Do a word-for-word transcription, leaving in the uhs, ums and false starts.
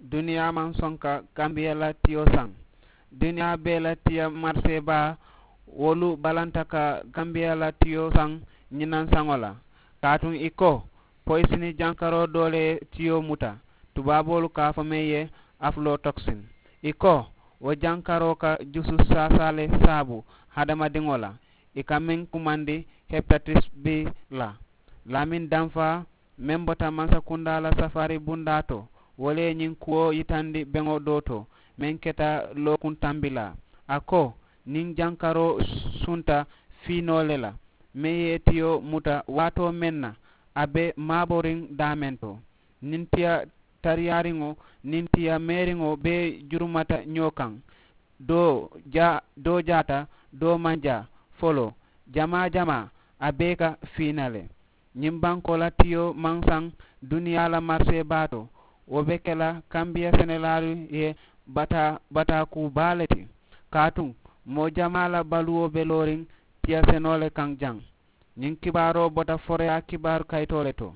Duniyaa maŋ soŋ ka gambiya la tiyo saŋ. Duniyaa bee la tiya marisee baa wolu balanta ka gambiya la tiyo saŋ. Ñiŋ naŋ saŋo la kaatuŋ i ko poyisini jankaroo doo le ye tiyo muta. Tubaaboolu ka a fo meŋ ye afuloo toksin. I ko wo jankaroo ka jusu saasaa le saabu hadamadiŋo la. I ka meŋ kumandi hepatatis bi la. Lamin danfaa meŋ bota mansakundaa la safaari bundaa to wo le ye ñiŋ kuwo yitandi beŋo doo to meŋ keta lookuŋ tambilaa. A ko niŋ jankaroo sunta fiinoo le la meŋ ye tiyo muta waatoo meŋ na a be maaboriŋ daameŋ to. Niŋ tiya tariyaariŋo niŋ tiya meeriŋo bee jurumata ñoo kaŋ. Doo jaata doo maŋ jaa foloo jamaa jamaa a bee ka fiina le. Ñiŋ bankoo la tiyo maŋ saŋ duniyaa la marisee baa to. Wo be ke la kambiya senelaalu ye bataa bataa kuu baa le ti. Kaatuŋ moo jamaa la baluwo be looriŋ tiya senoo le kaŋ jaŋ. Ñiŋ kibaaroo bota foroyaa kibaaru kayitoo le to.